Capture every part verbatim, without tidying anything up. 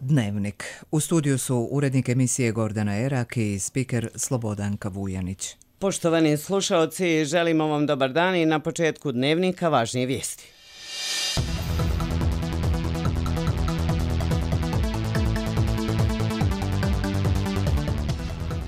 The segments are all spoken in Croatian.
Dnevnik. U studiju su urednik emisije Gordana Erak i spiker Slobodanka Vujanić. Poštovani slušaoci, želimo vam dobar dan i na početku Dnevnika važnije vijesti.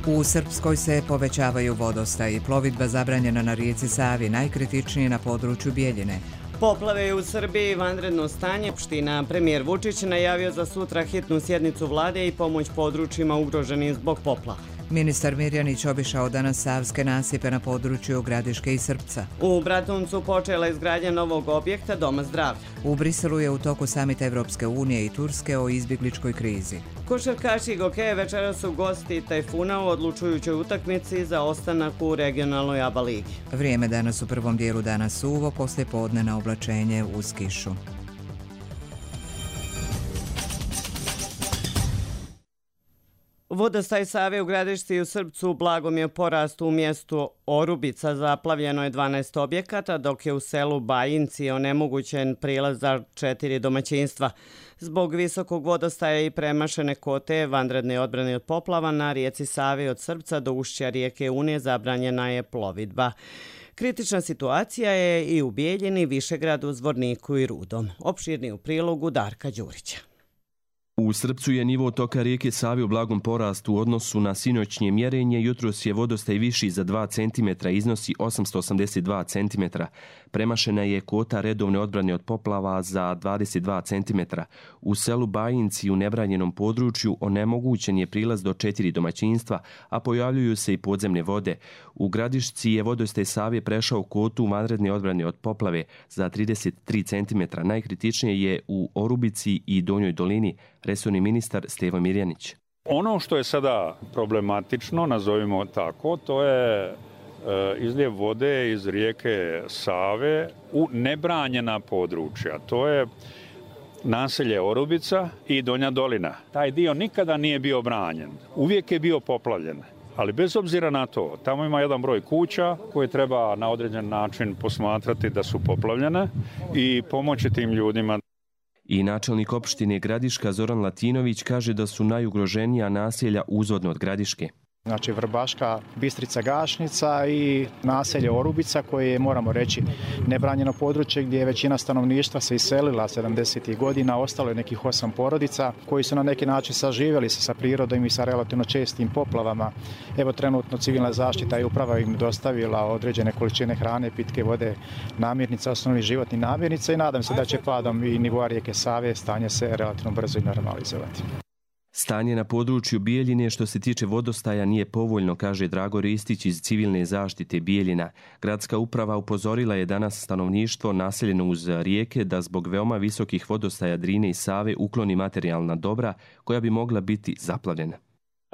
U Srpskoj se povećavaju vodostaji. Plovidba zabranjena na rijeci Savi, najkritičnije na području Bijeljine. Poplave u Srbiji, vanredno stanje. Opština premijer Vučić najavio za sutra hitnu sjednicu vlade i pomoć područjima ugroženim zbog poplava. Ministar Mirjanić obišao danas savske nasipe na području Gradiške i Srpca. U Bratuncu počela izgradnja novog objekta Doma zdravlja. U Briselu je u toku samit Evropske unije i Turske o izbjegličkoj krizi. Košarkaši Gokeje večera su gosti Tajfuna u odlučujućoj utakmici za ostanak u regionalnoj A B A ligi. Vrijeme danas u prvom dijelu dana suvo, poslije podne na oblačenje uz kišu. Vodostaj Save u Gradišci i u Srpcu blagom je porast. U mjestu Orubica zaplavljeno je dvanaest objekata, dok je u selu Bajinci onemogućen prilaz za četiri domaćinstva. Zbog visokog vodostaja i premašene kote vanredne odbrane od poplava na rijeci Savi od Srpca do ušća rijeke Une zabranjena je plovidba. Kritična situacija je i u Bijeljini, Višegradu, Zvorniku i Rudom. Opširni u prilogu Darka Đurića. U Srpcu je nivo toka rijeke Save u blagom porastu u odnosu na sinoćnje mjerenje. Jutros je vodostaj viši za dva centimetra, iznosi osamsto osamdeset dva centimetra. Premašena je kota redovne odbrane od poplava za dvadeset dva centimetra. U selu Bajinci u nebranjenom području onemogućen je prilaz do četiri domaćinstva, a pojavljuju se i podzemne vode. U Gradišci je vodostaj Save prešao kotu vanredne odbrane od poplave za trideset tri centimetra. Najkritičnije je u Orubici i Donjoj dolini, resorni ministar Stevo Mirjanić. Ono što je sada problematično, nazovimo tako, to je e, izljev vode iz rijeke Save u nebranjena područja. To je naselje Orubica i Donja dolina. Taj dio nikada nije bio branjen. Uvijek je bio poplavljen. Ali bez obzira na to, tamo ima jedan broj kuća koje treba na određen način posmatrati da su poplavljene i pomoći tim ljudima. I načelnik opštine Gradiška Zoran Latinović kaže da su najugroženija naselja uzvodno od Gradiške. Znači Vrbaška, Bistrica, Gašnica i naselje Orubica koje je, moramo reći, nebranjeno područje gdje je većina stanovništva se iselila sedamdesetih godina, ostalo je nekih osam porodica koji su na neki način saživjeli se sa prirodom i sa relativno čestim poplavama. Evo trenutno civilna zaštita i uprava im dostavila određene količine hrane, pitke vode, namirnica, osnovnih životnih namirnica i nadam se da će padom i nivoa rijeke Save stanje se relativno brzo i normalizovati. Stanje na području Bijeljine što se tiče vodostaja nije povoljno, kaže Drago Ristić iz civilne zaštite Bijeljina. Gradska uprava upozorila je danas stanovništvo naseljeno uz rijeke da zbog veoma visokih vodostaja Drine i Save ukloni materijalna dobra koja bi mogla biti zaplavljena.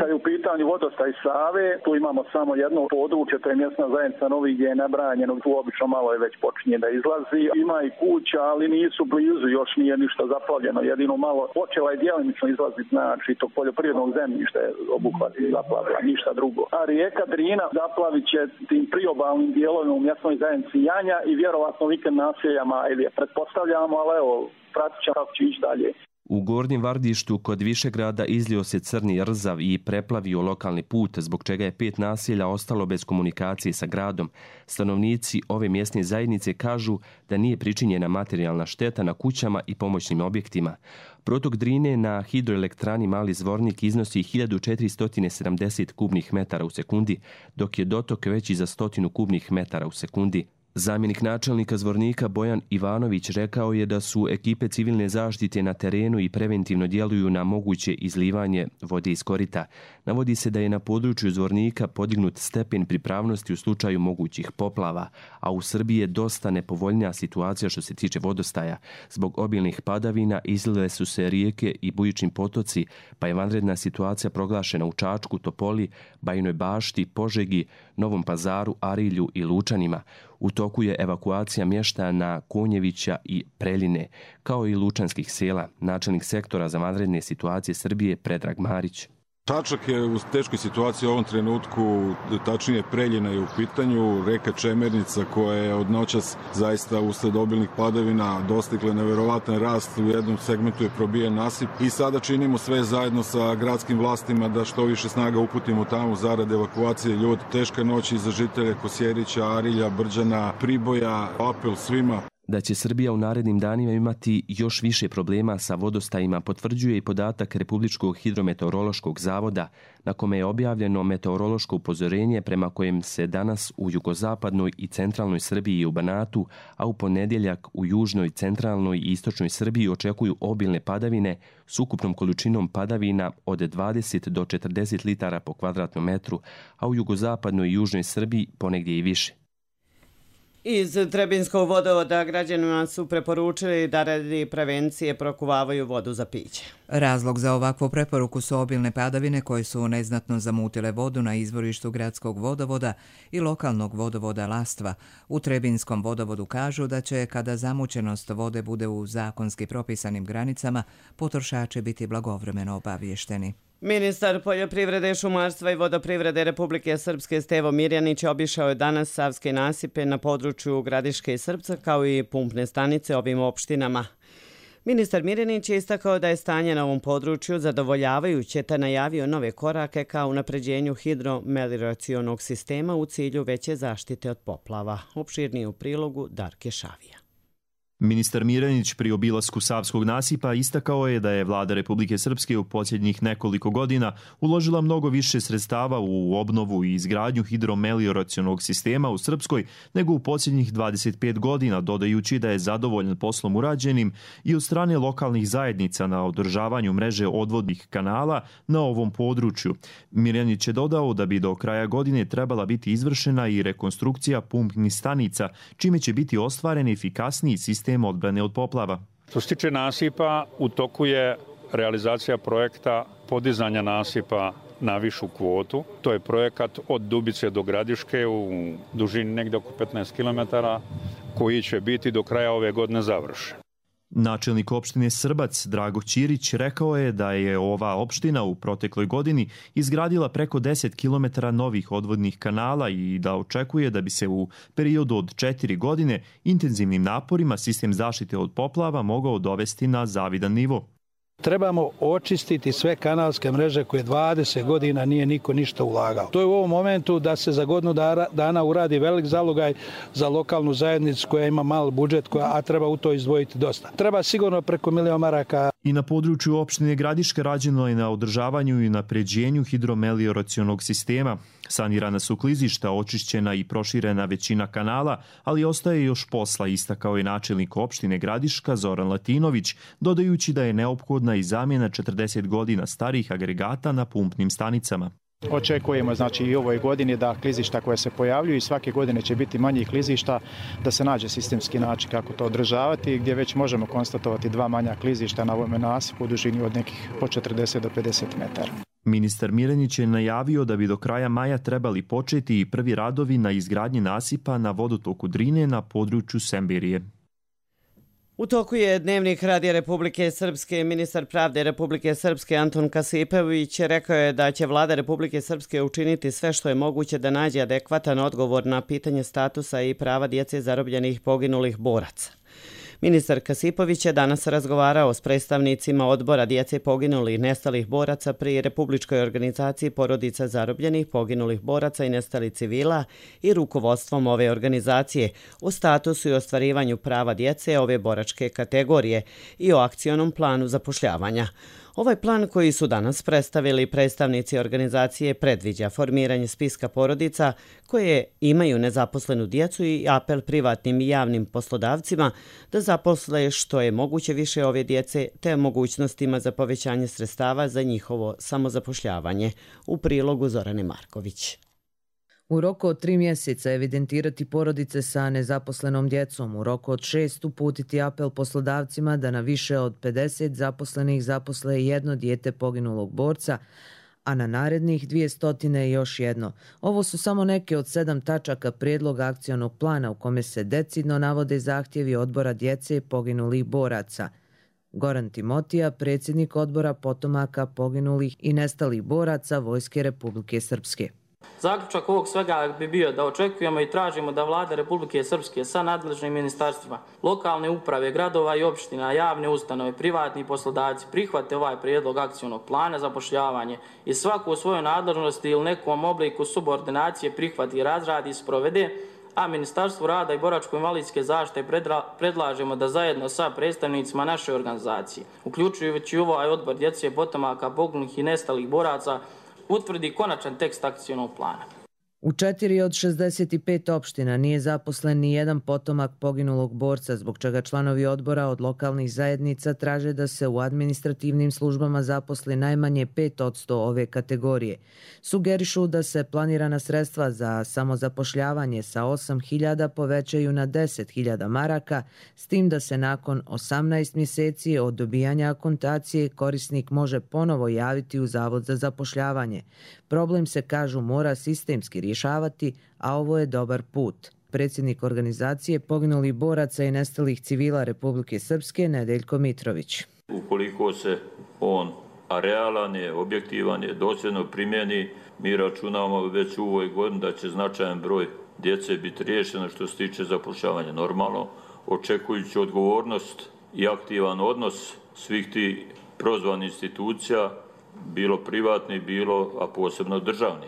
Kad je u pitanju vodostaj Save, tu imamo samo jedno područje, to je mjesna zajednica Novi gdje je nebranjeno, tu obično malo je već počinje da izlazi. Ima i kuća, ali nisu blizu, još nije ništa zaplavljeno, jedino malo počela je djelimično izlaziti, znači tog poljoprivrednog zemljišta je obuhvati zaplavila, ništa drugo. A rijeka Drina zaplavit će tim priobalnim dijelovima u mjesnoj zajednici Janja i vjerovatno vikend naseljama, ili je pretpostavljamo, ali evo, pratit ćemo kako će ići dalje. U Gornjem Vardištu kod Višegrada izlio se crni rzav i preplavio lokalni put, zbog čega je pet naselja ostalo bez komunikacije sa gradom. Stanovnici ove mjesne zajednice kažu da nije pričinjena materijalna šteta na kućama i pomoćnim objektima. Protok Drine na hidroelektrani Mali Zvornik iznosi hiljadu četiristo sedamdeset kubnih metara u sekundi, dok je dotok veći za stotinu kubnih metara u sekundi. Zamjenik načelnika Zvornika Bojan Ivanović rekao je da su ekipe civilne zaštite na terenu i preventivno djeluju na moguće izlivanje vode iz korita. Navodi se da je na području Zvornika podignut stepen pripravnosti u slučaju mogućih poplava, a u Srbiji je dosta nepovoljnija situacija što se tiče vodostaja. Zbog obilnih padavina izlile su se rijeke i bujični potoci, pa je vanredna situacija proglašena u Čačku, Topoli, Bajinoj Bašti, Požegi, Novom Pazaru, Arilju i Lučanima. U toku je evakuacija mještana Konjevića i Preljine, kao i lučanskih sela. Načelnik sektora za vanredne situacije Srbije Predrag Marić. Čačak je u teškoj situaciji u ovom trenutku, tačnije Preljina je u pitanju, reka Čemernica koja je od noćas zaista usled obilnih padavina dostigla neverovatan rast, u jednom segmentu je probijen nasip i sada činimo sve zajedno sa gradskim vlastima da što više snaga uputimo tamo zarad evakuacije ljudi. Teška noć i za žitelje Kosjerića, Arilja, Brđana, Priboja, apel svima. Da će Srbija u narednim danima imati još više problema sa vodostajima potvrđuje i podatak Republičkog hidrometeorološkog zavoda, na kome je objavljeno meteorološko upozorenje prema kojem se danas u jugozapadnoj i centralnoj Srbiji i u Banatu, a u ponedjeljak u južnoj, centralnoj i istočnoj Srbiji očekuju obilne padavine s ukupnom količinom padavina od dvadeset do četrdeset litara po kvadratnom metru, a u jugozapadnoj i južnoj Srbiji ponegdje i više. Iz Trebinskog vodovoda građanima su preporučili da radi prevencije prokuvavaju vodu za piće. Razlog za ovakvu preporuku su obilne padavine koje su neznatno zamutile vodu na izvorištu gradskog vodovoda i lokalnog vodovoda Lastva. U Trebinskom vodovodu kažu da će, kada zamućenost vode bude u zakonski propisanim granicama, potrošači biti blagovremeno obavješteni. Ministar poljoprivrede, šumarstva i vodoprivrede Republike Srpske Stevo Mirjanić obišao je danas savske nasipe na području Gradiške i Srpca kao i pumpne stanice ovim opštinama. Ministar Mirjanić je istakao da je stanje na ovom području zadovoljavajuće te najavio nove korake ka unapređenju hidromelioracionog sistema u cilju veće zaštite od poplava. Opširnije u prilogu Darke Šavija. Ministar Mirjanić pri obilasku savskog nasipa istakao je da je vlada Republike Srpske u posljednjih nekoliko godina uložila mnogo više sredstava u obnovu i izgradnju hidromelioracionog sistema u Srpskoj nego u posljednjih dvadeset pet godina, dodajući da je zadovoljan poslom urađenim i od strane lokalnih zajednica na održavanju mreže odvodnih kanala na ovom području. Mirjanić je dodao da bi do kraja godine trebala biti izvršena i rekonstrukcija pumpnih stanica, čime će biti ostvaren efikasniji sistem odbrane od poplava. Što se tiče nasipa, u toku je realizacija projekta podizanja nasipa na višu kvotu. To je projekat od Dubice do Gradiške u dužini negdje oko petnaest kilometara koji će biti do kraja ove godine završen. Načelnik opštine Srbac Drago Ćirić rekao je da je ova opština u protekloj godini izgradila preko deset kilometara novih odvodnih kanala i da očekuje da bi se u periodu od četiri godine intenzivnim naporima sistem zaštite od poplava mogao dovesti na zavidan nivo. Trebamo očistiti sve kanalske mreže koje dvadeset godina nije niko ništa ulagao. To je u ovom momentu da se za godinu dana uradi velik zalogaj za lokalnu zajednicu koja ima mal budžet, koja, a treba u to izdvojiti dosta. Treba sigurno preko milion maraka. I na području opštine Gradiška rađeno je na održavanju i napređenju hidromelioracionog sistema. Sanirana su klizišta, očišćena i proširena većina kanala, ali ostaje još posla, istakao je načelnik opštine Gradiška Zoran Latinović, dodajući da je neophodna i zamjena četrdeset godina starih agregata na pumpnim stanicama. Očekujemo znači i u ovoj godini da klizišta koje se pojavljuju i svake godine će biti manjih klizišta, da se nađe sistemski način kako to održavati, gdje već možemo konstatovati dva manja klizišta na ovome nasipu u dužini od nekih po četrdeset do pedeset metara. Ministar Mirjanić je najavio da bi do kraja maja trebali početi i prvi radovi na izgradnji nasipa na vodotoku Drine na području Semberije. U toku je Dnevnik Radija Republike Srpske. Ministar pravde Republike Srpske Anton Kasipović rekao je da će vlada Republike Srpske učiniti sve što je moguće da nađe adekvatan odgovor na pitanje statusa i prava djece zarobljenih poginulih boraca. Ministar Kasipović je danas razgovarao s predstavnicima odbora djece poginulih i nestalih boraca pri Republičkoj organizaciji porodica zarobljenih poginulih boraca i nestalih civila i rukovodstvom ove organizacije o statusu i ostvarivanju prava djece ove boračke kategorije i o akcionom planu zapošljavanja. Ovaj plan koji su danas predstavili predstavnici organizacije predviđa formiranje spiska porodica koje imaju nezaposlenu djecu i apel privatnim i javnim poslodavcima da zaposle što je moguće više ove djece te mogućnostima za povećanje sredstava za njihovo samozapošljavanje. U prilogu Zorane Marković. U roku od tri mjeseca evidentirati porodice sa nezaposlenom djecom, u roku od šest uputiti apel poslodavcima da na više od pedeset zaposlenih zaposle jedno dijete poginulog borca, a na narednih dvije stotine još jedno. Ovo su samo neke od sedam tačaka prijedloga akcionog plana u kome se decidno navode zahtjevi odbora djece poginulih boraca. Goran Timotija, predsjednik odbora potomaka poginulih i nestalih boraca Vojske Republike Srpske. Zaključak ovog svega bi bio da očekujemo i tražimo da Vlada Republike Srpske sa nadležnim ministarstvima, lokalne uprave, gradova i opština, javne ustanove, privatni poslodavci prihvate ovaj prijedlog akcionog plana zapošljavanje i svaku u svojoj nadležnosti ili nekom obliku subordinacije prihvati i razradi i sprovede, a Ministarstvu rada i boračko-invalidske zaštite predlažemo da zajedno sa predstavnicima naše organizacije, uključujući ovaj odbor djece, potomaka, poginulih i nestalih boraca, utvrdi konačan tekst akcionog plana. U četiri od šezdeset pet opština nije zaposlen ni jedan potomak poginulog borca, zbog čega članovi odbora od lokalnih zajednica traže da se u administrativnim službama zaposli najmanje pet posto ove kategorije. Sugerišu da se planirana sredstva za samozapošljavanje sa osam hiljada povećaju na deset hiljada maraka, s tim da se nakon osamnaest mjeseci od dobijanja akontacije korisnik može ponovo javiti u Zavod za zapošljavanje. Problem se, kažu, mora sistemski rješavati, a ovo je dobar put. Predsjednik organizacije poginulih boraca i nestalih civila Republike Srpske Nedeljko Mitrović. Ukoliko se on a realan je, objektivan je, dosljedno primjeni, mi računamo već u ovoj godini da će značajan broj djece biti riješeno što se tiče zapošljavanja. Normalno, očekujući odgovornost i aktivan odnos svih tih prozvanih institucija, bilo privatni, bilo, a posebno državni.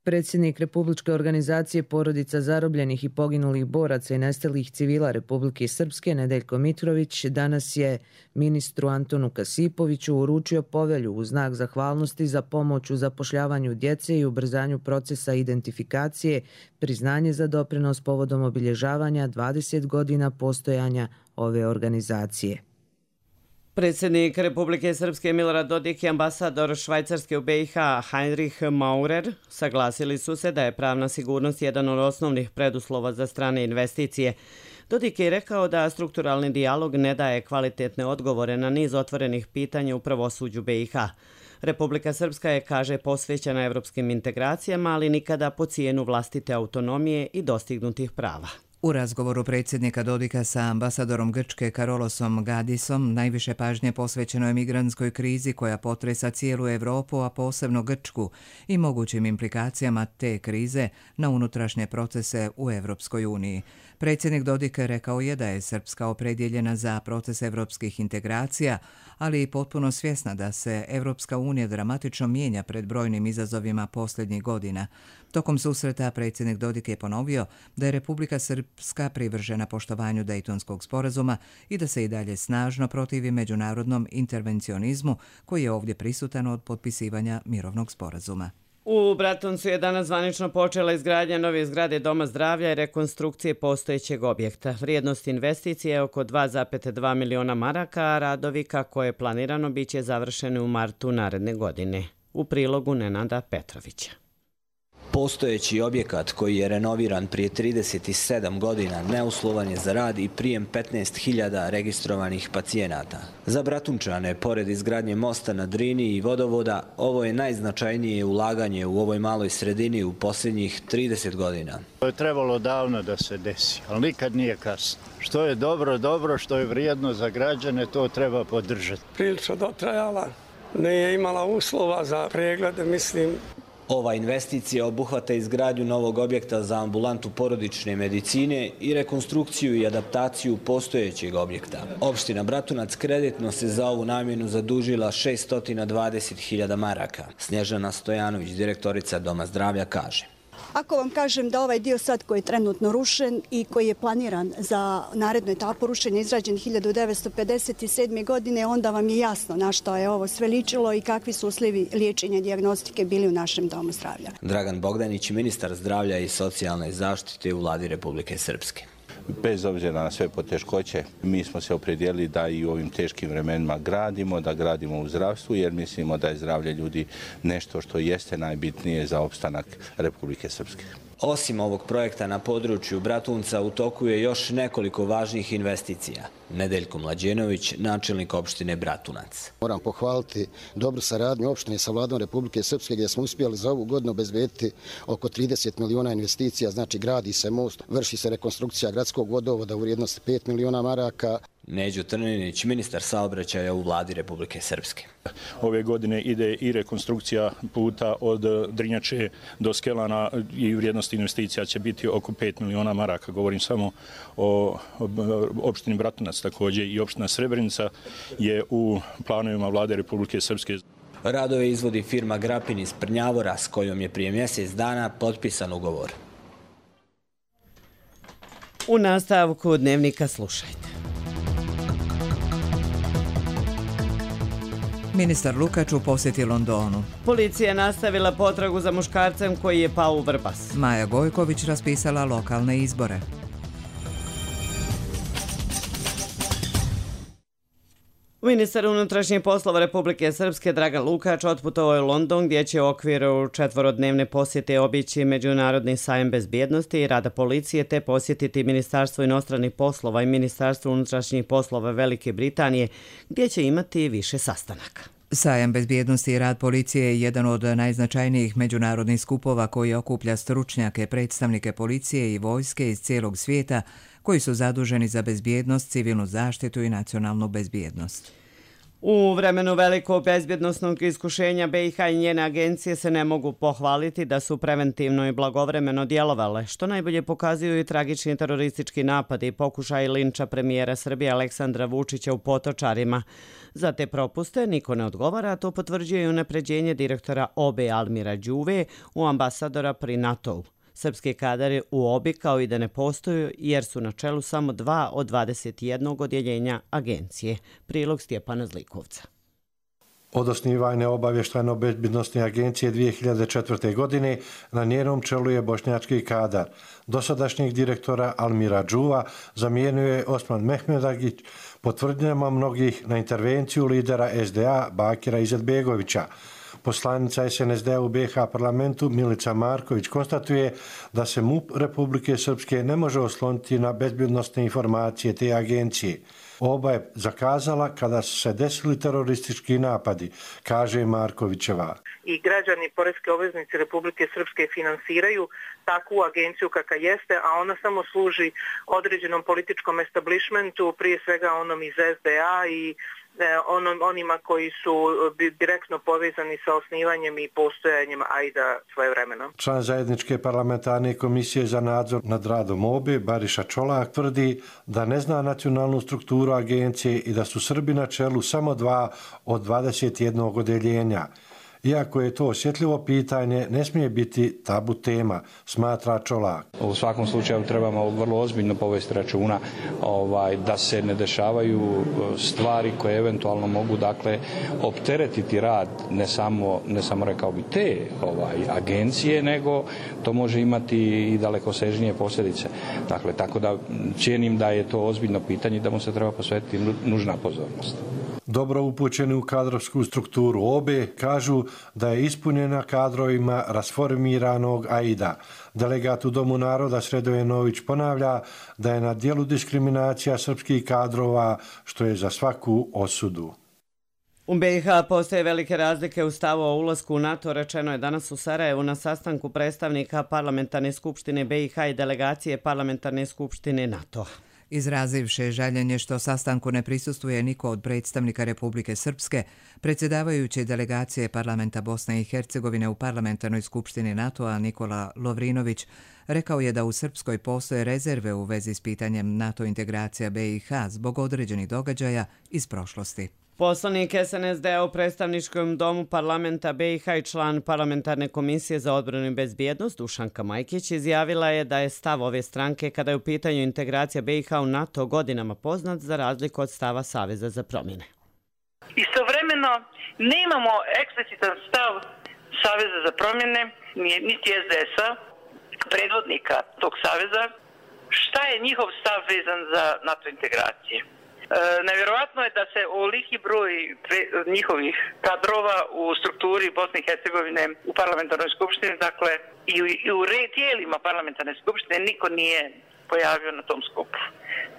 Predsjednik Republičke organizacije porodica zarobljenih i poginulih boraca i nestalih civila Republike Srpske Nedeljko Mitrović danas je ministru Antonu Kasipoviću uručio povelju u znak zahvalnosti za pomoć u zapošljavanju djece i ubrzanju procesa identifikacije, priznanje za doprinos povodom obilježavanja dvadeset godina postojanja ove organizacije. Predsjednik Republike Srpske Milorad Dodik i ambasador Švajcarske u B i H Heinrich Maurer saglasili su se da je pravna sigurnost jedan od osnovnih preduslova za strane investicije. Dodik je rekao da strukturalni dijalog ne daje kvalitetne odgovore na niz otvorenih pitanja u pravosuđu B i H. Republika Srpska je, kaže, posvećena evropskim integracijama, ali nikada po cijenu vlastite autonomije i dostignutih prava. U razgovoru predsjednika Dodika sa ambasadorom Grčke Karolosom Gadisom najviše pažnje posvećeno je migrantskoj krizi koja potresa cijelu Europu, a posebno Grčku, i mogućim implikacijama te krize na unutrašnje procese u Evropskoj uniji. Predsjednik Dodik rekao je da je Srpska opredjeljena za proces evropskih integracija, ali i potpuno svjesna da se Evropska unija dramatično mijenja pred brojnim izazovima posljednjih godina. Tokom susreta predsjednik Dodik je ponovio da je Republika Srpska privržena poštovanju Dejtonskog sporazuma i da se i dalje snažno protivi međunarodnom intervencionizmu koji je ovdje prisutan od potpisivanja mirovnog sporazuma. U Bratuncu je danas zvanično počela izgradnja nove zgrade Doma zdravlja i rekonstrukcije postojećeg objekta. Vrijednost investicije je oko dva zarez dva miliona maraka, a radovi, kako je planirano, bit će završeni u martu naredne godine. U prilogu Nenada Petrovića. Postojeći objekat koji je renoviran prije trideset sedam godina neuslovan je za rad i prijem petnaest hiljada registrovanih pacijenata. Za Bratunčane, pored izgradnje mosta na Drini i vodovoda, ovo je najznačajnije ulaganje u ovoj maloj sredini u posljednjih trideset godina. To je trebalo davno da se desi, ali nikad nije kasno. Što je dobro, dobro, što je vrijedno za građane, to treba podržati. Prilično dotrajala, nije imala uslova za preglede, mislim. Ova investicija obuhvata izgradnju novog objekta za ambulantu porodične medicine i rekonstrukciju i adaptaciju postojećeg objekta. Opština Bratunac kreditno se za ovu namjenu zadužila šessto dvadeset hiljada maraka. Snježana Stojanović, direktorica Doma zdravlja, kaže: Ako vam kažem da ovaj dio sad koji je trenutno rušen i koji je planiran za narednu etapu rušenja izrađen hiljadu devetsto pedeset sedme. godine, onda vam je jasno na što je ovo sve ličilo i kakvi su uslovi liječenja i dijagnostike bili u našem Domu zdravlja. Dragan Bogdanić, ministar zdravlja i socijalne zaštite u Vladi Republike Srpske. Bez obzira na sve poteškoće, mi smo se opredijelili da i u ovim teškim vremenima gradimo, da gradimo u zdravstvu, jer mislimo da je zdravlje ljudi nešto što jeste najbitnije za opstanak Republike Srpske. Osim ovog projekta na području Bratunca u toku je još nekoliko važnih investicija. Nedeljko Mlađenović, načelnik opštine Bratunac. Moram pohvaliti dobru saradnju opštine sa Vladom Republike Srpske gdje smo uspjeli za ovu godinu obezbediti oko trideset miliona investicija, znači gradi se most, vrši se rekonstrukcija gradskog vodovoda u vrijednosti pet miliona maraka. Neđo Trninić, ministar saobraćaja u vladi Republike Srpske. Ove godine ide i rekonstrukcija puta od Drinjače do Skelana i vrijednost investicija će biti oko pet miliona maraka. Govorim samo o opštini Bratunac, također i opština Srebrenica je u planovima vlade Republike Srpske. Radove izvodi firma Grapin iz Prnjavora s kojom je prije mjesec dana potpisan ugovor. U nastavku Dnevnika slušajte. Ministar Lukač u posjeti Londonu. Policija je nastavila potragu za muškarcem koji je pao u Vrbas. Maja Gojković raspisala lokalne izbore. Ministar unutrašnjih poslova Republike Srpske Dragan Lukač otputovao je u London gdje će u okviru četvorodnevne posjete obići Međunarodni sajam bezbjednosti i rada policije te posjetiti Ministarstvo inostranih poslova i Ministarstvo unutrašnjih poslova Velike Britanije gdje će imati više sastanaka. Sajam bezbjednosti i rad policije je jedan od najznačajnijih međunarodnih skupova koji okuplja stručnjake, predstavnike policije i vojske iz cijelog svijeta koji su zaduženi za bezbjednost, civilnu zaštitu i nacionalnu bezbjednost. U vremenu velikog bezbjednosnog iskušenja B i H i njene agencije se ne mogu pohvaliti da su preventivno i blagovremeno djelovale, što najbolje pokazuju i tragični teroristički napadi i pokušaj linča premijera Srbije Aleksandra Vučića u Potočarima. Za te propuste niko ne odgovara, a to potvrđuje i unapređenje direktora O B Almira Đuve u ambasadora pri NATO-u. Srpski kadar u O B I kao i da ne postoju jer su na čelu samo dva od dvadeset jednog odjeljenja agencije. Prilog Stjepana Zlikovca. Od osnivanja obavještajno-bezbjednostne agencije dvije hiljade četvrte. godine na njenom čelu je bošnjački kadar. Dosadašnjeg direktora Almira Đuva zamijenio je Osman Mehmedagić po tvrdnjama mnogih na intervenciju lidera S D A Bakira Izetbegovića. Poslanica S N S D-a u B i H parlamentu Milica Marković konstatuje da se M U P Republike Srpske ne može osloniti na bezbjednostne informacije te agencije. Oba je zakazala kada su se desili teroristički napadi, kaže Markovićeva. I građani poreske obveznici Republike Srpske finansiraju takvu agenciju kakva jeste, a ona samo služi određenom političkom establishmentu, prije svega onom iz S D A i onom, onima koji su direktno povezani sa osnivanjem i postojanjem A I D A svojevremeno. Član zajedničke parlamentarne komisije za nadzor nad radom O B E, Bariša Čolak, tvrdi da ne zna nacionalnu strukturu agencije i da su Srbi na čelu samo dva od dvadeset jednog odjeljenja. Iako je to osjetljivo pitanje, ne smije biti tabu tema, smatra Čolak. U svakom slučaju trebamo vrlo ozbiljno povesti računa ovaj, da se ne dešavaju stvari koje eventualno mogu dakle opteretiti rad ne samo, ne samo rekao bi te ovaj, agencije, nego to može imati i dalekosežnije posljedice. Dakle, tako da cijenim da je to ozbiljno pitanje i da mu se treba posvetiti nužna pozornost. Dobro upućeni u kadrovsku strukturu O B E kažu da je ispunjena kadrovima rasformiranog A I D A. Delegat u Domu naroda Sredoje Nović ponavlja da je na dijelu diskriminacija srpskih kadrova, što je za svaku osudu. U B i H postoje velike razlike u stavu o ulasku u NATO, rečeno je danas u Sarajevu na sastanku predstavnika Parlamentarne skupštine B i H i delegacije Parlamentarne skupštine NATO. Izrazivše žaljenje što sastanku ne prisustuje niko od predstavnika Republike Srpske, predsjedavajući delegacije Parlamenta Bosne i Hercegovine u Parlamentarnoj skupštini NATO-a Nikola Lovrinović rekao je da u Srpskoj postoje rezerve u vezi s pitanjem NATO integracija B i H zbog određenih događaja iz prošlosti. Poslanik S N S D-a u predstavničkom domu parlamenta B i H i član parlamentarne komisije za odbranu i bezbjednost Dušanka Majkić izjavila je da je stav ove stranke kada je u pitanju integracija B i H u NATO godinama poznat za razliku od stava Saveza za promjene. Istovremeno nemamo eksplicitan stav Saveza za promjene, niti S D S-a, predvodnika tog saveza, šta je njihov stav vezan za NATO integracije. E, nevjerovatno je da se ovoliki broj njihovih kadrova u strukturi Bosne i Hercegovine u parlamentarnoj skupštini, dakle i u, i u tijelima parlamentarne skupštine niko nije pojavio na tom skupu.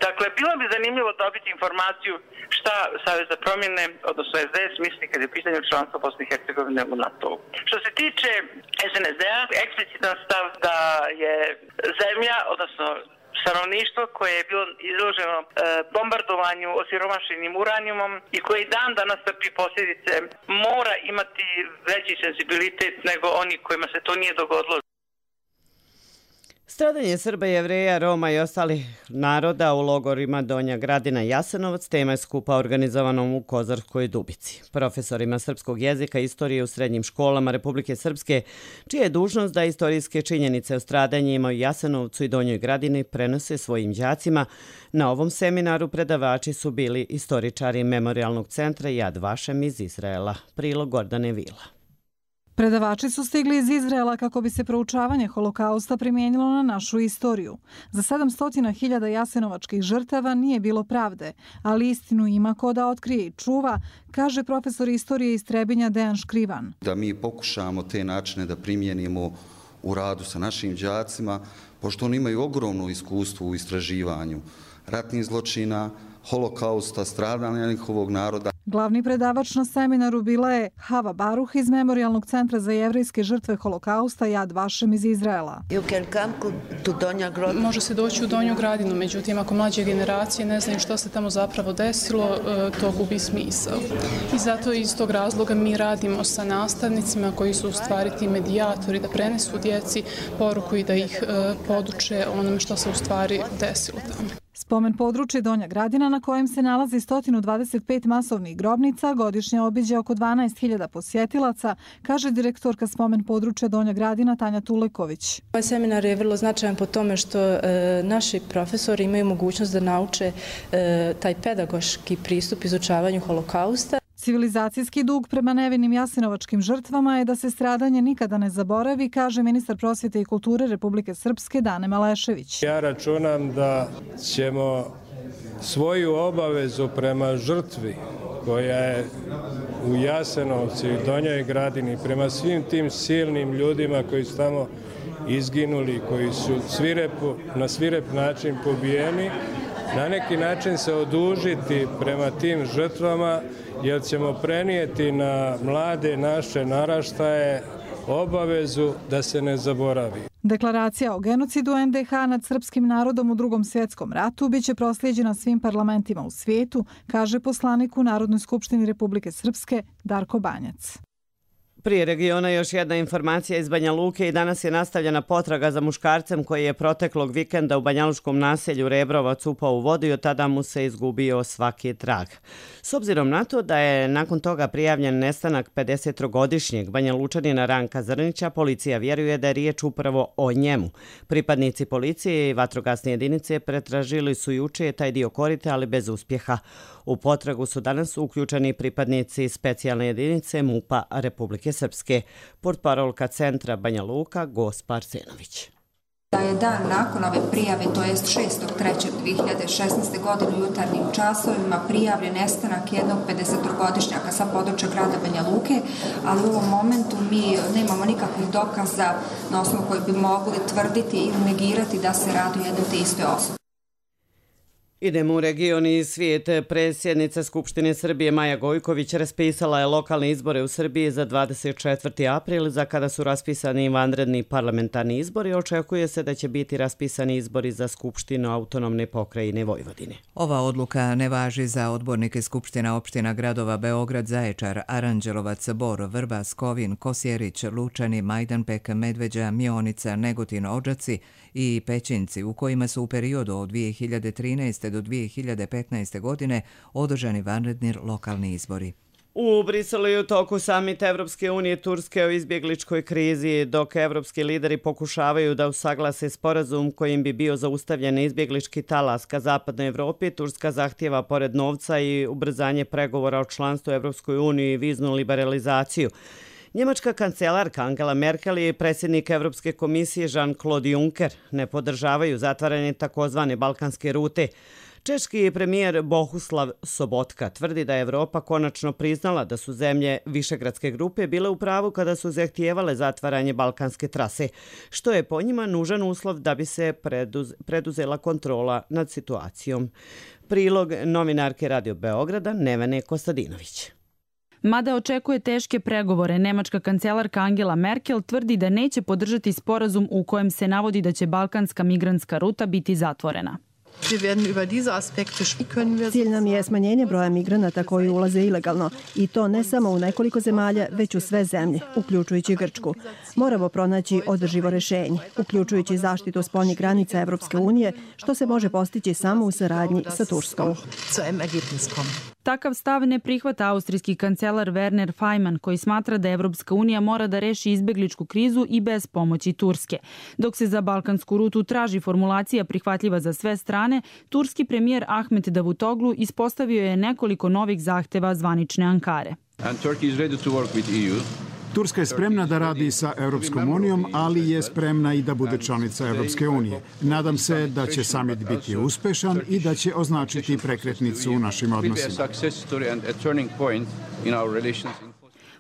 Dakle, bilo bi zanimljivo dobiti informaciju šta Savez za promjene, odnosno S D S, misli kad je u pitanju članstva Bosne i Hercegovine u NATO. Što se tiče S N S D-a, eksplicitan stav da je zemlja, odnosno stanovništvo koje je bilo izloženo e, bombardovanju osiromašenim uranijumom i koji dan danas trpi posljedice, mora imati veći senzibilitet nego oni kojima se to nije dogodilo. Stradanje Srba, Jevreja, Roma i ostalih naroda u logorima Donja Gradina i Jasenovac tema je skupa organizovanom u Kozarskoj Dubici. Profesorima srpskog jezika i istorije u srednjim školama Republike Srpske, čija je dužnost da istorijske činjenice o stradanjima u Jasenovcu i Donjoj Gradini prenose svojim đacima, na ovom seminaru predavači su bili istoričari Memorialnog centra Yad Vashem iz Izraela. Prilog Gordane Vila. Predavači su stigli iz Izraela kako bi se proučavanje holokausta primijenilo na našu istoriju. Za sedamsto hiljada jasenovačkih žrtava nije bilo pravde, ali istinu ima ko da otkrije i čuva, kaže profesor istorije iz Trebinja Dejan Škrivan. Da mi pokušamo te načine da primijenimo u radu sa našim đacima, pošto oni imaju ogromno iskustvo u istraživanju ratnih zločina, holokausta, stradanja njihovog naroda. Glavni predavač na seminaru bila je Hava Baruh iz Memorialnog centra za jevrejske žrtve holokausta Yad Vashem iz Izraela. Može se doći u Donju Gradinu, međutim ako mlađe generacije ne znaju što se tamo zapravo desilo, to gubi smisao. I zato iz tog razloga mi radimo sa nastavnicima koji su u stvari ti medijatori da prenesu djeci poruku i da ih poduče onome što se u stvari desilo tamo. Spomen područje Donja Gradina na kojem se nalazi sto dvadeset pet masovnih grobnica godišnje obiđe oko dvanaest hiljada posjetilaca, kaže direktorka Spomen područja Donja Gradina Tanja Tuleković. Ovaj seminar je vrlo značajan po tome što e, naši profesori imaju mogućnost da nauče e, taj pedagoški pristup izučavanju holokausta. Civilizacijski dug prema nevinim jasenovačkim žrtvama je da se stradanje nikada ne zaboravi, kaže ministar prosvjete i kulture Republike Srpske Dane Malešević. Ja računam da ćemo svoju obavezu prema žrtvi koja je u Jasenovcu i Donjoj Gradini, prema svim tim silnim ljudima koji su tamo izginuli, koji su svirepu, na svirep način pobijeni, na neki način se odužiti prema tim žrtvama, jer ćemo prenijeti na mlade naše naraštaje obavezu da se ne zaboravi. Deklaracija o genocidu en de ha nad srpskim narodom u Drugom svjetskom ratu biće proslijeđena svim parlamentima u svijetu, kaže poslanik u Narodnoj skupštini Republike Srpske Darko Banjac. Prije regiona još jedna informacija iz Banja Luke i danas je nastavljena potraga za muškarcem koji je proteklog vikenda u banjaluškom naselju Rebrovac upao u vodu i od tada mu se izgubio svaki trag. S obzirom na to da je nakon toga prijavljen nestanak pedesetogodišnjeg Banjalučanina Ranka Zrnića, policija vjeruje da je riječ upravo o njemu. Pripadnici policije i vatrogasne jedinice pretražili su juče taj dio korita, ali bez uspjeha. U potragu su danas uključeni pripadnici specijalne jedinice MUP-a Republike Srpske. Portparolka centra Banja Luka Gospa Arsenović. Da je dan nakon ove prijave, to jest šestog trećeg dvije hiljade šesnaeste. godine u jutarnjim časovima prijavljen nestanak jednog pedesetogodišnjaka sa područja grada Banja Luke, ali u ovom momentu mi nemamo nikakvih dokaza na osnovu koji bi mogli tvrditi ili negirati da se radi o jednoj te istoj osobi. Idemo u region i svijet. Predsjednica Skupštine Srbije Maja Gojković raspisala je lokalne izbore u Srbiji za dvadeset četvrti april, za kada su raspisani vanredni parlamentarni izbori. Očekuje se da će biti raspisani izbori za Skupštinu autonomne pokrajine Vojvodine. Ova odluka ne važi za odbornike Skupština opština gradova Beograd, Zaječar, Aranđelovac, Bor, Vrbas, Kovin, Kosjerić, Lučani, Majdanpek, Medveđa, Mionica, Negotin, Odžaci i Pećinci, u kojima su u periodu od dvije hiljade trinaeste. do dvije hiljade petnaeste. godine održani vanredni lokalni izbori. U Briselu je u toku samita Evropske unije Turske o izbjegličkoj krizi, dok evropski lideri pokušavaju da usaglase sporazum kojim bi bio zaustavljen izbjeglički talas ka zapadnoj Evropi. Turska zahtjeva pored novca i ubrzanje pregovora o članstvu Evropskoj uniji i viznu liberalizaciju. Njemačka kancelarka Angela Merkel i predsjednik Evropske komisije Jean-Claude Juncker ne podržavaju zatvaranje takozvane balkanske rute. Češki premijer Bohuslav Sobotka tvrdi da je Evropa konačno priznala da su zemlje Višegradske grupe bile u pravu kada su zahtijevale zatvaranje balkanske trase, što je po njima nužan uslov da bi se preduz, preduzela kontrola nad situacijom. Prilog novinarke Radio Beograda Nevene Kostadinović. Mada očekuje teške pregovore, nemačka kancelarka Angela Merkel tvrdi da neće podržati sporazum u kojem se navodi da će balkanska migrantska ruta biti zatvorena. Cilj nam je smanjenje broja migranata koji ulaze ilegalno i to ne samo u nekoliko zemalja, već u sve zemlje, uključujući Grčku. Moramo pronaći održivo rešenje, uključujući zaštitu spoljnih granica Evropske unije, što se može postići samo u saradnji sa Turskom. Takav stav ne prihvata austrijski kancelar Werner Faymann, koji smatra da Evropska unija mora da reši izbegličku krizu i bez pomoći Turske. Dok se za balkansku rutu traži formulacija prihvatljiva za sve strane, turski premijer Ahmet Davutoglu ispostavio je nekoliko novih zahteva zvanične Ankare. Turska je spremna da radi sa Europskom unijom, ali je spremna i da bude članica Europske unije. Nadam se da će samit biti uspešan i da će označiti prekretnicu u našim odnosima.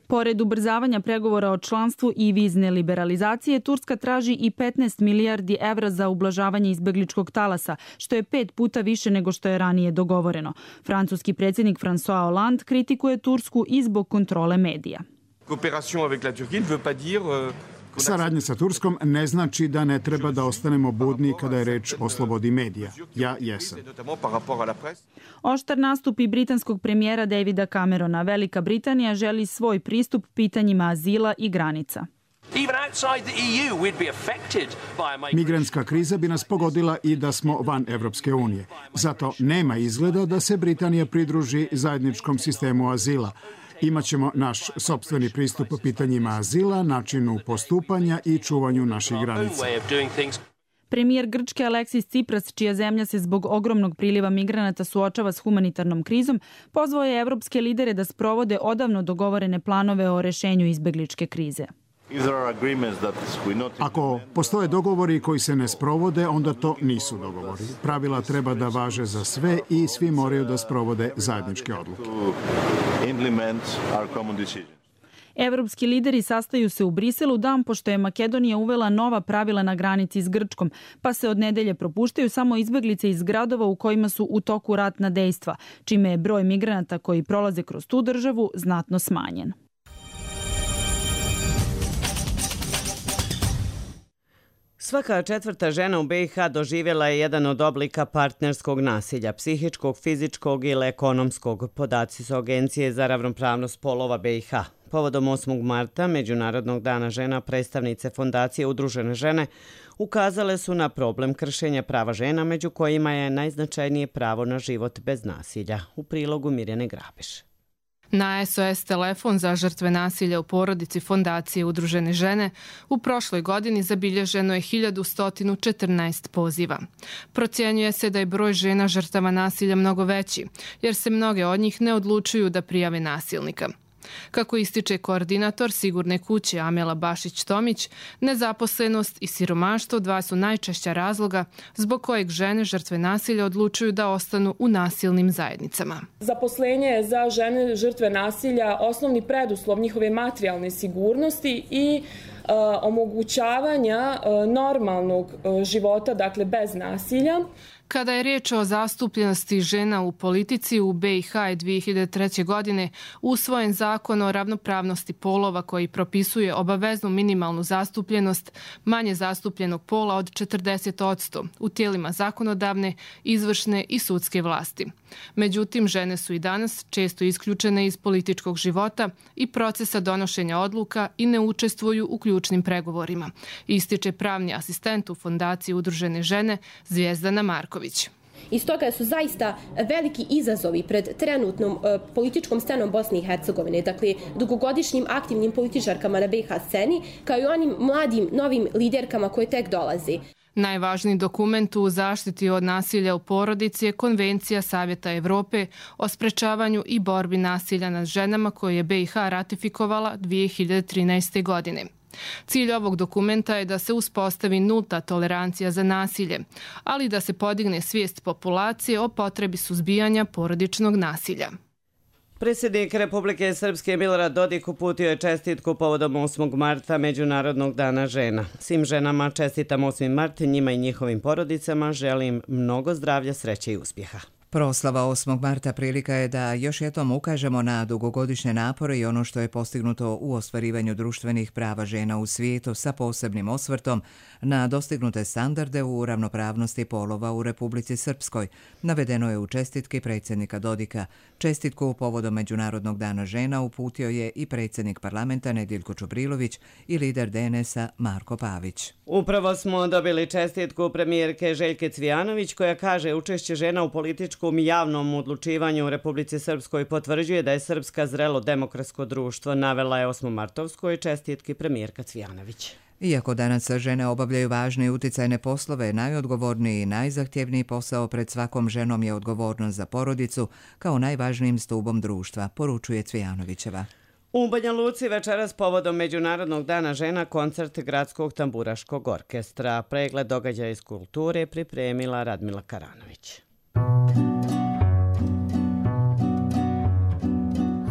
Pored ubrzavanja pregovora o članstvu i vizne liberalizacije, Turska traži i petnaest milijardi evra za ublažavanje izbegličkog talasa, što je pet puta više nego što je ranije dogovoreno. Francuski predsjednik François Hollande kritikuje Tursku i zbog kontrole medija. Saradnja sa Turskom ne znači da ne treba da ostanemo budni kada je reč o slobodi medija. Ja jesam. Oštar nastup i britanskog premijera Davida Camerona. Velika Britanija želi svoj pristup pitanjima azila i granica. Migrantska kriza bi nas pogodila i da smo van Evropske unije. Zato nema izgleda da se Britanija pridruži zajedničkom sistemu azila. Imaćemo naš sopstveni pristup pitanjima azila, načinu postupanja i čuvanju naših granica. Premijer Grčke Aleksis Tsipras, čija zemlja se zbog ogromnog priliva migranata suočava s humanitarnom krizom, pozvao je evropske lidere da sprovode odavno dogovorene planove o rešenju izbegličke krize. Ako postoje dogovori koji se ne sprovode, onda to nisu dogovori. Pravila treba da važe za sve i svi moraju da sprovode zajedničke odluke. Evropski lideri sastaju se u Briselu dan pošto je Makedonija uvela nova pravila na granici s Grčkom, pa se od nedelje propuštaju samo izbeglice iz gradova u kojima su u toku ratna dejstva, čime je broj migranata koji prolaze kroz tu državu znatno smanjen. Svaka četvrta žena u be i ha doživjela je jedan od oblika partnerskog nasilja, psihičkog, fizičkog ili ekonomskog. Podaci su Agencije za ravnopravnost polova be i ha. Povodom osmog marta, Međunarodnog dana žena, predstavnice Fondacije Udružene žene ukazale su na problem kršenja prava žena, među kojima je najznačajnije pravo na život bez nasilja. U prilogu Mirjane Grabiš. Na es o es telefon za žrtve nasilja u porodici Fondacije Udružene žene u prošloj godini zabilježeno je hiljadu sto četrnaest poziva. Procjenjuje se da je broj žena žrtava nasilja mnogo veći, jer se mnoge od njih ne odlučuju da prijave nasilnika. Kako ističe koordinator Sigurne kuće Amela Bašić-Tomić, nezaposlenost i siromaštvo dva su najčešća razloga zbog kojeg žene žrtve nasilja odlučuju da ostanu u nasilnim zajednicama. Zaposlenje je za žene žrtve nasilja osnovni preduslov njihove materijalne sigurnosti i uh, omogućavanja uh, normalnog uh, života, dakle bez nasilja. Kada je riječ o zastupljenosti žena u politici, u be i ha je dvije hiljade treće. godine usvojen zakon o ravnopravnosti polova koji propisuje obaveznu minimalnu zastupljenost manje zastupljenog pola od četrdeset posto u tijelima zakonodavne, izvršne i sudske vlasti. Međutim, žene su i danas često isključene iz političkog života i procesa donošenja odluka i ne učestvuju u ključnim pregovorima, ističe pravni asistent u Fondaciji Udružene žene Zvijezdana Marković. I stoga su zaista veliki izazovi pred trenutnom uh, političkom scenom Bosne i Hercegovine, dakle dugogodišnjim aktivnim političarkama na be i ha sceni, kao i onim mladim novim liderkama koje tek dolaze. Najvažniji dokument u zaštiti od nasilja u porodici je Konvencija Savjeta Evrope o sprečavanju i borbi nasilja nad ženama koju je be i ha ratifikovala dvije hiljade trinaeste. godine. Cilj ovog dokumenta je da se uspostavi nulta tolerancija za nasilje, ali da se podigne svijest populacije o potrebi suzbijanja porodičnog nasilja. Predsjednik Republike Srpske Milorad Dodik uputio je čestitku povodom osmog marta Međunarodnog dana žena. Svim ženama čestitam osmi mart, njima i njihovim porodicama želim mnogo zdravlja, sreće i uspjeha. Proslava osmog marta prilika je da još jednom ukažemo na dugogodišnje napore i ono što je postignuto u ostvarivanju društvenih prava žena u svijetu sa posebnim osvrtom na dostignute standarde u ravnopravnosti polova u Republici Srpskoj, navedeno je u čestitki predsjednika Dodika. Čestitku povodom Međunarodnog dana žena uputio je i predsjednik parlamenta Nediljko Čubrilović i lider D N S-a Marko Pavić. Upravo smo dobili čestitku premijerke Željke Cvijanović koja kaže učešće žena u političkom i javnom odlučivanju u Republici Srpskoj potvrđuje da je Srpska zrelo demokratsko društvo, navela je osmomartovskoj čestitki premijerka Cvijanović. Iako danas žene obavljaju važne i uticajne poslove, najodgovorniji i najzahtjevniji posao pred svakom ženom je odgovornost za porodicu kao najvažnijim stubom društva, poručuje Cvijanovićeva. U Banja Luci večeras povodom Međunarodnog dana žena koncert Gradskog tamburaškog orkestra. Pregled događaja iz kulture pripremila Radmila Karanović.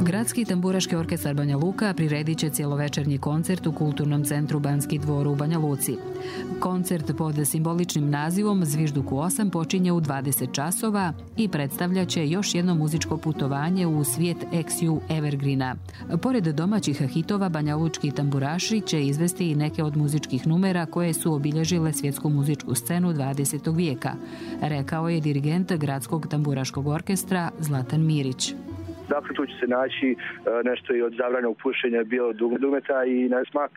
Gradski tamburaški orkestar Banja Luka priredit će cjelovečernji koncert u Kulturnom centru Banski dvor u Banja Luci. Koncert pod simboličnim nazivom Zvižduk u osam počinje u dvadeset časova i predstavlja će još jedno muzičko putovanje u svijet X U Evergreena. Pored domaćih hitova, banjalučki tamburaši će izvesti i neke od muzičkih numera koje su obilježile svjetsku muzičku scenu dvadesetog vijeka, rekao je dirigent Gradskog tamburaškog orkestra Zlatan Mirić. Dakle, tu će se naći nešto i od zabranog pušenja bijelog dugmeta i na smak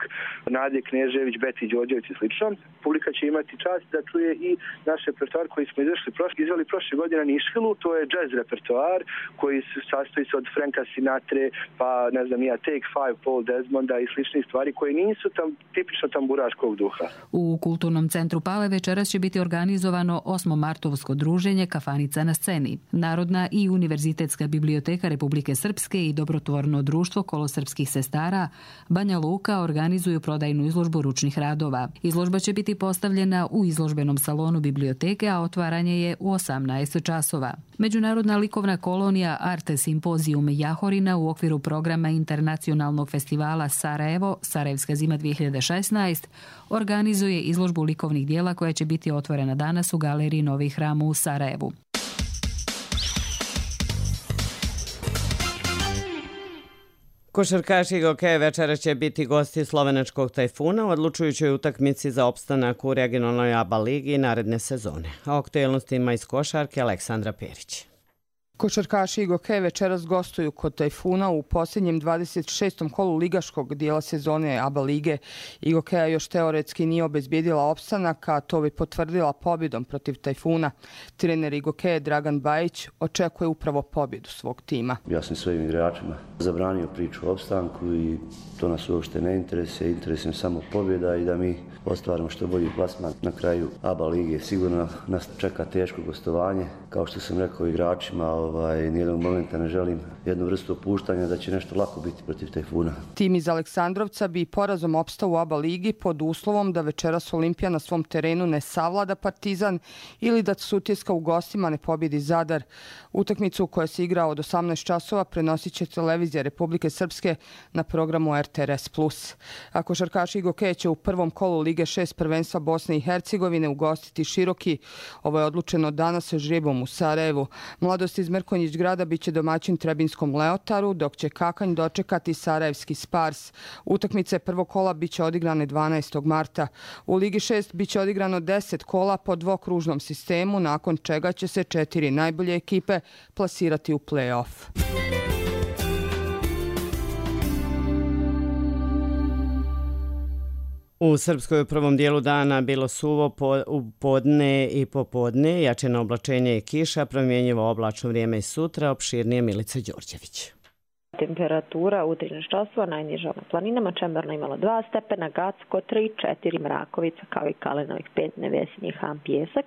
Nadje Knežević, Beti Đorđević i slično. Publika će imati čast da čuje i naš repertoar koji smo izašli prošle, izveli prošle godine na Nišvilu. To je jazz repertoar koji se sastoji se od Franka Sinatre, pa ne znam ja, Take Five, Paul Desmonda i sličnih stvari koje nisu tam tipično tamburaškog duha. U Kulturnom centru Pale večeras će biti organizovano osmomartovsko druženje Kafanica na sceni. Narodna i univerzitetska biblioteka Republike Srpske i dobrotvorno društvo kolosrpskih sestara Banja Luka organizuju prodajnu izložbu ručnih radova. Izložba će biti postavljena u izložbenom salonu biblioteke, a otvaranje je u osamnaest časova. Međunarodna likovna kolonija Arte Simpozijum Jahorina u okviru programa Internacionalnog festivala Sarajevo, Sarajevska zima dvije hiljade šesnaest, organizuje izložbu likovnih dijela koja će biti otvorena danas u galeriji Novi hram u Sarajevu. Košarkaši Gokeja večera će biti gosti slovenačkog Tajfuna u odlučujućoj utakmici za opstanak u regionalnoj A B A ligi naredne sezone. A o aktuelnostima iz košarke Aleksandra Perić. Košarkaši Igoke večeras gostuju kod Tajfuna u posljednjem dvadeset šestom kolu ligaškog dijela sezone A B A lige. Igokeja još teoretski nije obezbijedila opstanak, a to bi potvrdila pobjedom protiv Tajfuna. Trener Igoke Dragan Bajić očekuje upravo pobjedu svog tima. Ja sam svojim igračima zabranio priču o opstanku i to nas uopšte ne interesuje. Interesuje samo pobjeda i da mi ostvarimo što bolji plasman na kraju A B A lige. Sigurno nas čeka teško gostovanje. Kao što sam rekao igračima, ovaj, nijednog momenta ne želim jednu vrstu opuštanja da će nešto lako biti protiv Tajfuna. Tim iz Aleksandrovca bi porazom opstao u A B A ligi pod uslovom da večeras Olimpija na svom terenu ne savlada Partizan ili da Sutjeska u gostima ne pobjedi Zadar. Utakmicu koja se igra od osamnaest časova prenosit će televizija Republike Srpske na programu R T R S plus. A košarkaši Igoke će u prvom kolu Lige šest prvenstva Bosne i Hercegovine ugostiti Široki. Ovo je odlučeno danas žrebom u Sarajevu. Mladost iz Mrkonjić grada biće domaćin Trebinskom Leotaru, dok će Kakanj dočekati Sarajevski Spars. Utakmice prvog kola biće odigrane dvanaestog marta. U Ligi šest biće odigrano deset kola po dvokružnom sistemu, nakon čega će se četiri najbolje ekipe plasirati u play-off. U Srpskoj u prvom dijelu dana bilo suvo po, u podne i popodne, jačeno oblačenje i kiša, promjenjivo oblačno vrijeme i sutra, opširnije Milica Đorđević. Temperatura u trinaest časova, najniža na planinama, Čemerno imalo dva stepena, Gacko tri, četiri, Mrakovica kao i Kalenovih pet, Nevesinji Han, Pjesak,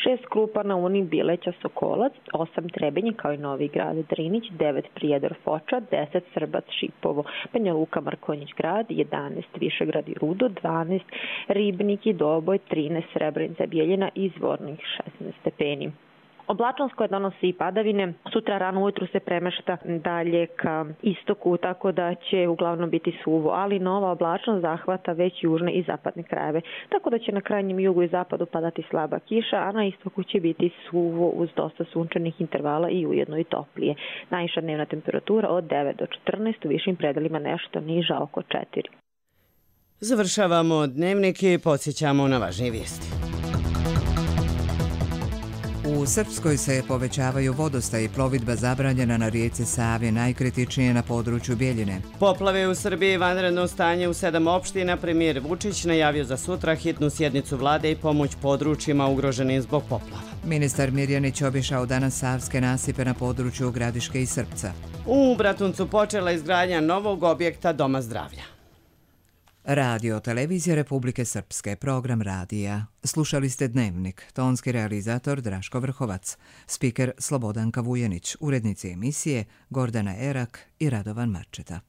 šest Krupa na Uni, Bileća, Sokolac, osam Trebinji kao i Novi Grad, Drinić, devet Prijedor, Foča, deset Srbac, Šipovo, Banja Luka, Mrkonjić grad, jedanaest Višegrad i Rudo, dvanaest Ribnik i Doboj, trinaest Srebrenica, Bijeljina i Zvornik, šesnaest stepeni. Oblačnost koja donosi i padavine sutra rano ujutru se premešta dalje ka istoku, tako da će uglavnom biti suvo, ali nova oblačnost zahvata već južne i zapadne krajeve, tako da će na krajnjem jugu i zapadu padati slaba kiša, a na istoku će biti suvo uz dosta sunčanih intervala i ujedno i toplije. Najviša dnevna temperatura od devet do četrnaest, u višim predelima nešto niža oko četiri. Završavamo dnevnik i podsjećamo na važnije vijesti. U Srpskoj se povećavaju vodostaj i plovidba zabranjena na rijeci Savi, najkritičnije na području Bjeljine. Poplave u Srbiji, vanredno stanje u sedam opština. Premijer Vučić najavio za sutra hitnu sjednicu vlade i pomoć područjima ugroženim zbog poplava. Ministar Mirjanić obišao danas savske nasipe na području Gradiške i Srpca. U Bratuncu počela izgradnja novog objekta Doma zdravlja. Radio Televizija Republike Srpske, program radija. Slušali ste Dnevnik, tonski realizator Draško Vrhovac, spiker Slobodanka Vujenić, urednici emisije Gordana Erak i Radovan Marčeta.